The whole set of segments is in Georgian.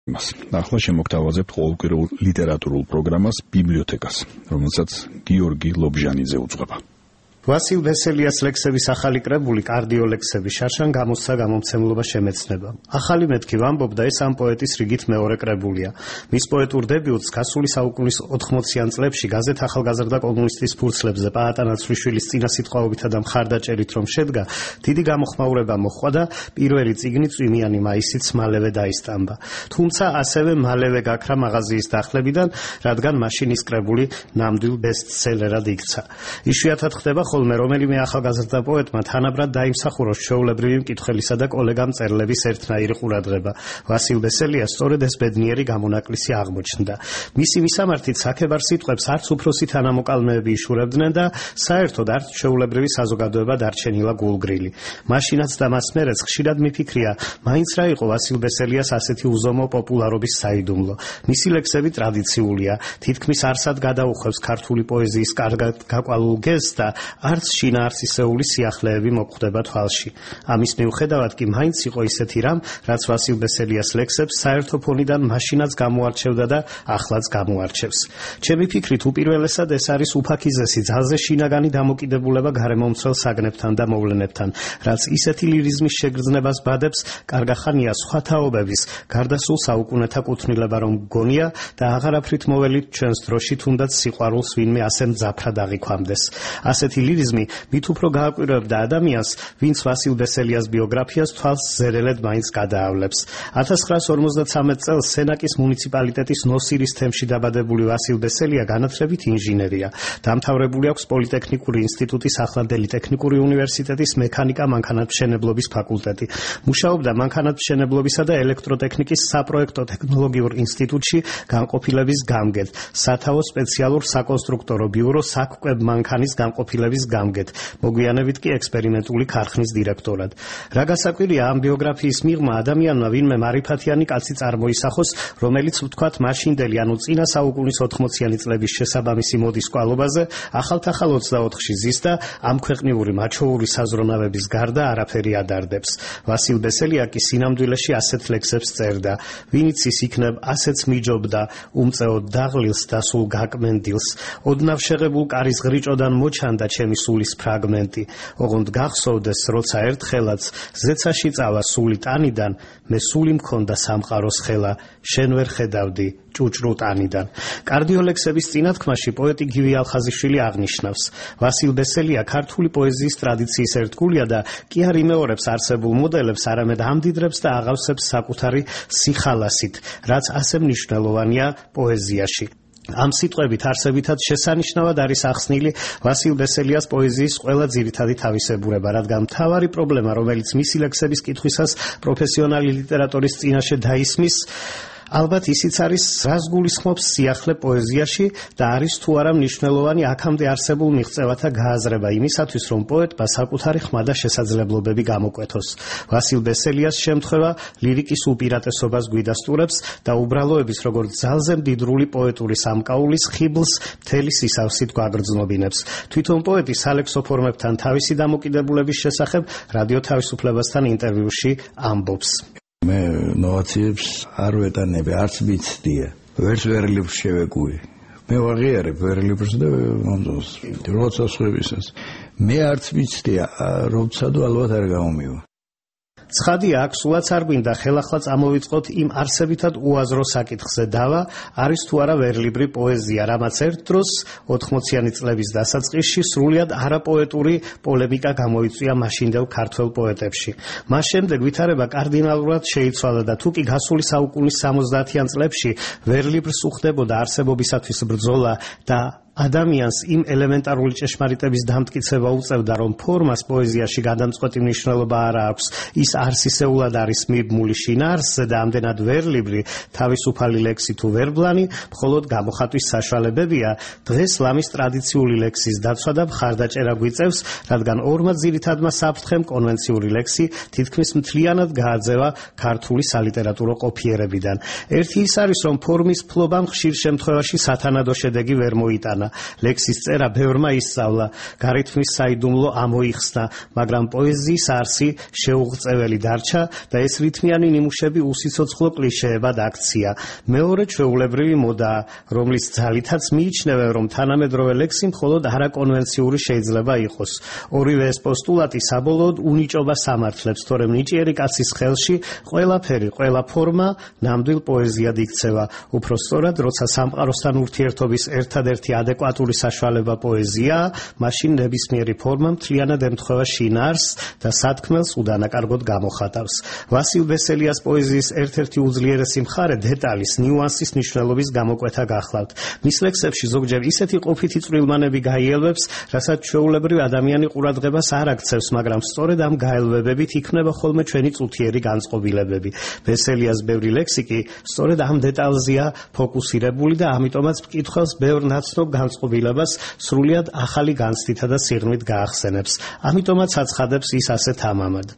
ახლა შემოგთავაზებთ ყოველკვირეულ ლიტერატურულ პროგრამას ბიბლიოთეკას, რომელსაც გიორგი ლობჟანიძე უძღვება. ვასილ ვესელიას ლექსების ახალი კრებული კარდიოლექსები შარშან გამოსცა გამომცემლობა შემეცნება. ახალი მეთქი ვამბობდა, ეს ამ პოეტის რიგით მეორე კრებულია. მის პოეტურ დებიუტს გასული საუკუნის 80-იან წლებში გაზეთ ახალგაზრდა კომუნისტის ფურცლებზე პაატა ნაცვლიშვილის წინასიტყვაობითა და მხარდაჭერით რომ შედგა, დიდი გამოხმაურება მოჰყვა და პირველი წიგნი წვიმიანი მაისიც მალევე დაისტამბა. თუმცა ასევე მალევე გაქრა მაღაზიის დახლებიდან, რადგან მაშინ ის კრებული ნამდვილ ბესტსელერად იქცა. იშვიათად ხდება ხოლმე რომელიმე ახალგაზრდა პოეტმა თანაბრად დაიმსახუროს ჩვეულებრივი მკითხველისა და კოლეგა მწერლების ერთნაირი ყურადღება. ვასილ ვესელიას სწორედ ეს ბედნიერი გამონაკლისი აღმოჩნდა. მისი მისამართით საქებარ სიტყვებს არც უფროსი თანამოკალმეები იშურებდნენ და საერთოდ არც ჩვეულებრივი საზოგადოება დარჩენილა გულგრილი. მაშინაც და მას მერეც ხშირად მიფიქრია, მაინც რა იყო ვასილ ვესელიას ასეთი უზომო პოპულარობის საიდუმლო. მისი ლექსები ტრადიციულია, თითქმის არსად გადაუხვევს ქართული პოეზიის კარგად გაკვალულ გეზს და არც შინაარსისეული სიახლეები მოხვდება თვალში. ამის მიუხედავად კი მაინც იყო ისეთი რამ, რაც ვასილ ვესელიას ლექსებს საერთო ფონიდან მაშინაც გამოარჩევდა და ახლაც გამოარჩევს. ჩემი ფიქრით უპირველესად ეს არის უფაქიზესი ძალზე შინაგანი დამოკიდებულება გარემომცველ საგნებთან და მოვლენებთან, რაც ისეთი ლირიზმის შეგრძნებას ბადებს, კარგახანია სხვა თაობების, გარდასულ საუკუნეთა კუთვნილება რომ გონია და აღარაფრით მოველით ჩვენს დროში თუნდაც სიყვარულს ვინმე ასე მძაფრად აღიქვამდეს. ასეთი ლირიზმი მით უფრო გააკვირვებდა ადამიანს, ვინც ვასილ ვესელიას ბიოგრაფიას თვალს ზერელედ მაინც გადაავლებს. 1953 წელს სენაკის მუნიციპალიტეტის ნოსირის თემში დაბადებული ვასილ ვესელია განათლებით ინჟინერია. დამთავრებული აქვს პოლიტექნიკური ინსტიტუტის ახლანდელი ტექნიკური უნივერსიტეტის მექანიკა-მანქანათმშენებლობის ფაკულტეტი. მუშაობდა მანქანათმშენებლობისა და ელექტროტექნიკის საპროექტო ტექნოლოგიურ ინსტიტუტში განყოფილების გამგედ, სათაო სპეციალურ საკონსტრუქტორო ბიურო საკვებ მანქანის განყოფილების გამგედ, მოგვიანებით კი ექსპერიმენტული ქარხნის დირექტორად. რა გასაკვირია ამ ბიოგრაფიის მიღმა ადამიანმა ვინმე მარიფათიანი კაცი წარმოისახოს, რომელიც ვთქვათ მაშინდელი, ანუ წინა საუკუნის 80-იანი წლების შესაბამისი მოდის კვალობაზე, ახალ 24-ში ზის და ამ ქვეყნიური მაჩვეური საზრონავების გარდა არაფერი ადარდებს. ვასილ ვესელია კი სინამდვილეში ასეთ ლექსებს წერდა. ვინიც ის იქნებ, ასეც მიჯობდა, უმწეოდ დაღლილს და სულ გაკმენდილს. ოდნავ შეღებულ კარის ღრიჭოდან მოჩანდა ჩემი სულის ფრაგმენტი. ოღონდ გახსოვდეს, როცა ერთხელაც ზეცაში წავა სული ტანიდან, მე სული მქონდა სამყაროს ხელა, შენ ვერ ხედავდი ჭუჭრუ ტანიდან. კარდიოლექსების წინათქმაში პოეტი გივი ალხაზიშვილი აღნიშნავს, ვასილ ვესელია ქართული პოეზიის ტრადიციის ერთგულია და კი არ იმეორებს არსებულ მოდელებს, არამედ ამდიდრებს და აღავსებს საკუთარი სიხალასით, რაც ასე მნიშვნელოვანია პოეზიაში. ამ სიტყვებით არსებითად შესანიშნავად არის ახსნილი ვასილ ვესელიას პოეზიის ყველა ძირითადი თავისებურება, რადგან მთავარი პრობლემა, რომელიც მისი ლექსების კითხვისას პროფესიონალი ლიტერატურის წინაშე დაისმის, ალბათ ისიც არის, რას გულისხმობს სიახლე პოეზიაში და არის თუ არა მნიშვნელოვანი აქამდე არსებულ მიღწევათა გააზრება იმისათვის, რომ პოეტმა საკუთარი ხმა და შესაძლებლობები გამოკვეთოს. ვასილ ვესელიას შემთხვევა ლირიკის უპირატესობას გვიდასტურებს და უბრალოების როგორც ძალზე მდიდრული პოეტური სამკაულის ხიბლს მთელი სისავსით გვაგრძნობინებს. თვითონ პოეტი სალექსო ფორმებთან თავისი დამოკიდებულების შესახებ რადიო თავისუფლებასთან ინტერვიუში ამბობს. მე ნოვაციებს არ ვეტანები, არც ვიცდია. ვერც ვერლიბს შევეკუი. მე ვაღიარებ ვერლიბს და როცა სხვებისას. მე არც ვიცდია, როცა და ალბათ არ გამომივა. ცხადია, აქ სულაც არ გვინდა ხელახლა წამოვიწყოთ იმ არსებითად უაზრო საკითხზე დავა, არის თუ არა ვერლიბრი პოეზია, რამაც ერთ დროს 80-იანი წლების დასაწყისში სრულიად არაპოეტური პოლემიკა გამოიწვია მაშინდელ ქართველ პოეტებში. მას შემდეგ ვითარება კარდინალურად შეიცვალა და თუ კი გასული საუკუნის 70-იან წლებში ვერლიბრს უხდებოდა არსებობისათვის ბრძოლა და ადამიანს იმ ელემენტარული ჭეშმარიტების დამტკიცება უწევდა, რომ ფორმას პოეზიაში გადამწყვეტი მნიშვნელობა არ აქვს, ის არსისეულად არის მიბმული შინაარსზე და ამდენად ვერლიბრი, თავისუფალი ლექსი თუ ვერბლანი, მხოლოდ გამოხატვის საშუალებებია. დღეს ლამის ტრადიციული ლექსის დაცვა და მხარდაჭერა გვიწევს, რადგან ორმა ძირითადმა საფრთხემ კონვენციური ლექსი თითქმის მთლიანად გააძევა ქართული სალიტერატურო ყოფიერებიდან. ერთი ის არის, რომ ფორმის ფლობამ ხშირ შემთხვევაში სათანადო შედეგი ვერ მოიტანა. გაიგონა. ლექსის წერა ბევრმა ისწავლა, გარითმის საიდუმლო ამოიხსნა, მაგრამ პოეზიის არსი შეუღწეველი დარჩა და ეს რითმიანი ნიმუშები უსიცოცხლო კლიშეებად აქცია. მეორე ჩვეულებრივი მოდაა, რომლის ძალითაც მიიჩნევენ, რომ თანამედროვე ლექსი მხოლოდ არაკონვენციური შეიძლება იყოს. ორივე ეს პოსტულატი საბოლოოდ უნიჭობას ამართლებს, თორემ ნიჭიერი კაცის ხელში ყველაფერი, ყველა ფორმა ნამდვილ პოეზიად იქცევა. უფრო სწორად, როცა სამყაროსთან ურთიერთობის ერთადერთი ადეკვატური საშუალება პოეზიაა, მაშინ ნებისმიერი ფორმა მთლიანად ემთხვევა შინაარსს და სათქმელს უდანაკარგოდ გამოხატავს. ვასილ ბესელიას პოეზიის ერთ-ერთი უძლიერესი მხარე დეტალის, ნიუანსის მნიშვნელობის გამოკვეთა გახლავთ. მის ლექსებში ზოგჯერ ისეთი ყოფითი წვრილმანები გაიელვებს, რასაც ჩვეულებრივ ადამიანი ყურადღებას არ აქცევს, მაგრამ სწორედ ამ გაელვებებით იქმნება ხოლმე ჩვენი წუთიერი განწყობილებები. ბესელიას ბევრი ლექსი კი სწორედ ამ დეტალზეა ფოკუსირებული და ამიტომაც მკითხველს ბევრ ნაცნობ განწყობილებას სრულიად ახალი განცდითა და სიღრმით გაახსენებს. ამიტომაც აცხადებს ის ასეთ ამამად.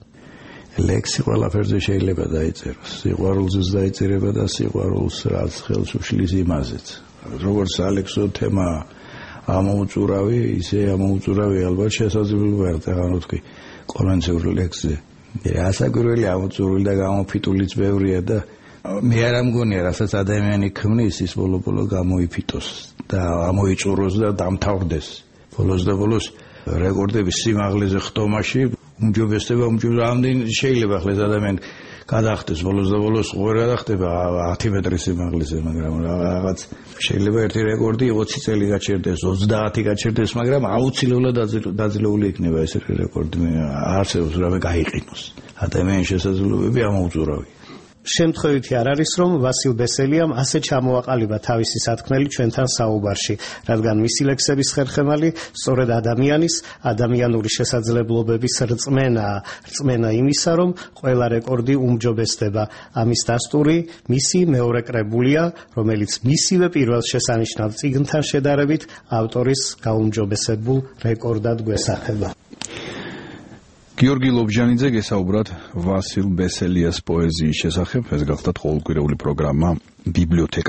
ლექსი ყველაფერზე შეიძლება დაიწეროს. სიყვარულზეც დაიწერება და სიყვარულს რაც ხელს უშლის იმაზეც. როგორც ალექსო თემა ამოუწურავი, ისე ამოუწურავი ალბათ შესაძლებელი ვარ აღარ თქვი კონვენციურ ლექსზე. ასაკვირველი ამოწურული და გამოფიტულიც ბევრია და მე არ ამგონია, რასაც ადამიანი ქმნის, ის ბოლო-ბოლო გამოიფიტოს და ამოიწუროს და დამთავრდეს. ბოლოს და ბოლოს რეკორდების სიმაღლეზე ხტომაში უმჯობესდება, ამდენ შეიძლება ახლა ეს ადამიანი გადახდეს ბოლოს და ბოლოს ვერ გადახდება 10 მეტრის სიმაღლეზე, მაგრამ რაღაც შეიძლება ერთი რეკორდი 20 წელი გაჩერდეს, 30 გაჩერდეს, მაგრამ აუცილებლად დაძლეული იქნება ეს რეკორდი. არსებობს რამე გაიყინოს. ადამიანის შესაძლებლობები ამოუწურავია. შემთხვევითი არ არის, რომ ვასილ ბესელიამ ასე ჩამოაყალიბა თავისი სათქმელი ჩვენთან საუბარში, რადგან მისი ლექსების ხერხემალი სწორედ ადამიანის, ადამიანური შესაძლებლობების რწმენაა, რწმენა იმისა, რომ ყველა რეკორდი უმჯობესდება. ამის დასტური მისი მეორე კრებულია, რომელიც მისივე პირველ შესანიშნავ წიგნთან შედარებით ავტორის გაუმჯობესებულ რეკორდად გვესახება. გიორგი ლობჟანიძე გესაუბრათ ვასილ ბესელიას პოეზიის შესახებ. ეს გახლდათ ყოველკვირეული პროგრამა ბიბლიოთეკა.